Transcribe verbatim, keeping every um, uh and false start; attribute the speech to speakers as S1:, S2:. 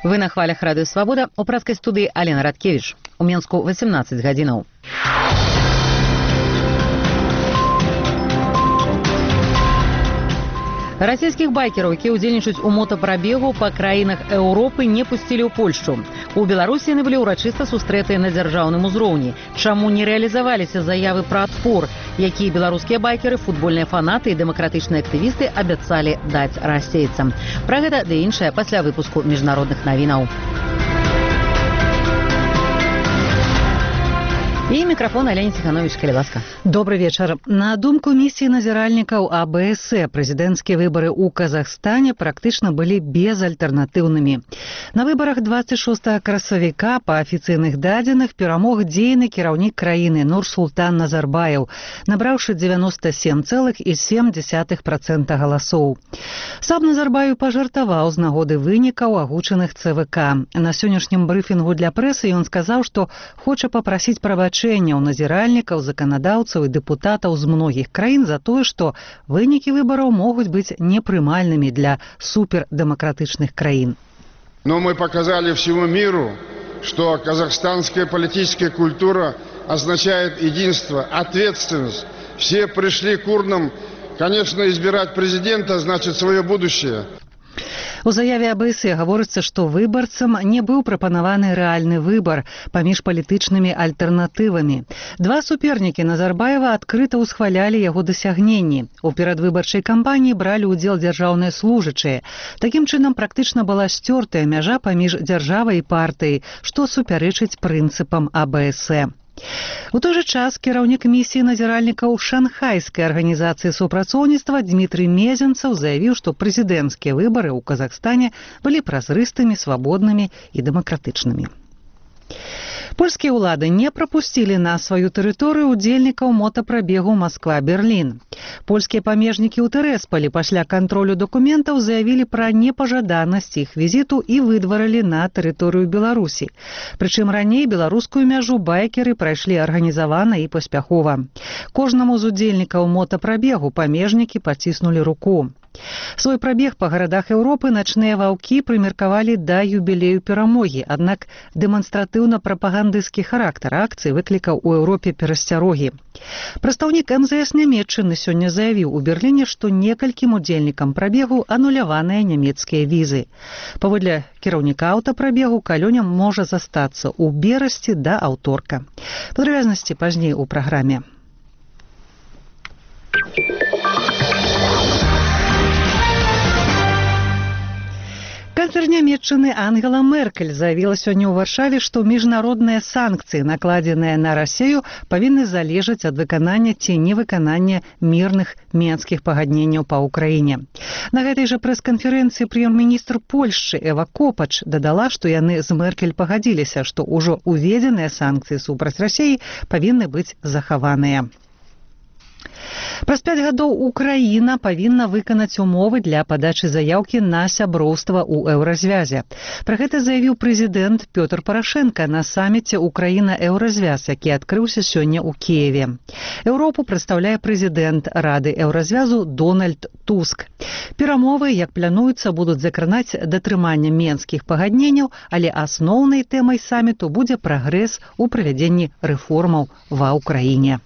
S1: Вы на хвалях Радыё Свабода, у прадскай студыі Алена Радкевіч. У Менску восемнадцать гадзінаў. Расійскіх байкераў, якія ўдзельнічаюць у мотапрабегу па краінах Еўропы, не пусцілі ў Польшчу. У Беларусі яны былі ўрачыста сустрэтыя на дзяржаўным узроўні. Чаму не рэалізаваліся заявы пра адпор, якія беларускія байкеры, футбольныя фанаты і дэмакратычныя актывісты абяцалі даць расейцам? Пра гэта ды іншае пасля выпуску міжнародных навінаў. І мікрафон Алена Ціхановіч, калі ласка.
S2: Добрый вечар. На думку місіі назіральнікаў А Бэ Эс Э, прэзідэнцкія выбары ў Казахстане практычна былі безальтэрнатыўнымі. На выбарах двадцать шостага красавіка па афіцыйных дадзеных перамог дзейны кіраўнік краіны Нурсултан Назарбаев, набраўшы девяносто семь целых семь десятых процента галасоў. Сам Назарбаев пажартаваў з нагоды вынікаў агучаных Цэ Вэ Ка. На сённяшнім брыфінгу для прэсы ён сказаў, што хоча папрасіць прабачэння у назіральнікаў, заканадаўцаў і дэпутатаў з многіх краін за тое, што вынікі выбараў могуць быць непрымальнымі для супердэмакратычных краін.
S3: Но мы показали всему миру, что казахстанская политическая культура означает единство, ответственность. Все пришли к урнам, конечно, избирать президента значит свое будущее.
S2: У заяве А Бэ Эс Э гаворыцца, што выбарцам не быў прапанаваны рэальны выбар паміж палітычнымі альтэрнатывамі. Два супернікі Назарбаева адкрыта ўсхвалялі яго дасягненні. У перадвыбарчай кампаніі бралі ўдзел дзяржаўныя служачыя. Такім чынам практычна была сцёртая мяжа паміж дзяржавай і партыяй, што супярэчыць прынцыпам А Бэ Эс Э. У той жа час кіраўнік місіі назіральнікаў шанхайскай арганізацыі супрацоўніцтва Дмітрый Мезенцаў заявіў, што прэзідэнцкія выбары ў Казахстане былі празрыстымі, свабоднымі і дэмакратычнымі. Польскія ўлады не прапусцілі на сваю тэрыторыю удзельнікаў мотапрабегу Масква-Берлін. Польскія памежнікі ў Тэрэсполі пасля кантролю дакументаў заявілі пра непажаданасць іх візіту і выдварылі на тэрыторыю Беларусі. Прычым раней беларускую мяжу байкеры прайшлі арганізавана і паспяхова. Кожнаму з удзельнікаў мотапрабегу памежнікі паціснулі руку. Свой прабег па гарадах Еўропы начныя ваўкі прымеркавалі да юбілею перамогі, аднак дэманстратыўна-прапагандысцкі характар акцыі выклікаў у Еўропе перасцярогі. Прадстаўнік Эм Зэ Эс Нямецчыны сёння заявіў у Берліне, што некалькім удзельнікам прабегу ануляваныя нямецкія візы. Паводле кіраўніка аўтапрабегу калёням можа застацца ў берасці да аўторка. Падрабязнасці пазней у праграме. Канцлер Нямецчыны Ангела Меркель заявіла сёння ў Варшаве, што міжнародныя санкцыі, накладзеныя на Расію, павінны залежаць ад выканання ці невыканання мірных менскіх пагадненняў па ўкраіне. На гэтай жа прэс-канферэнцыі прэм'ер-міністр Польшчы Эва Копач дадала, што яны з Меркель пагадзіліся, што ўжо уведзеныя санкцыі супраць Расіі павінны быць захаваныя. Праз пяць гадоў Украіна павінна выканаць умовы для падачы заяўкі на сяброўства ў еўразвязе. Пра гэта заявіў прэзідэнт Пётр Парашенка на саміце Украіна-еўразвяз, які адкрыўся сёння ў Кіеве. Еўропу прадстаўляе прэзідэнт Рады еўразвязу Дональд Туск. Перамовы, як плануецца, будуць закранаць датрымання менскіх пагадненняў, але асноўнай тэмай саміту будзе прагрэс у правядзенні рэформаў ва Ўкраіне.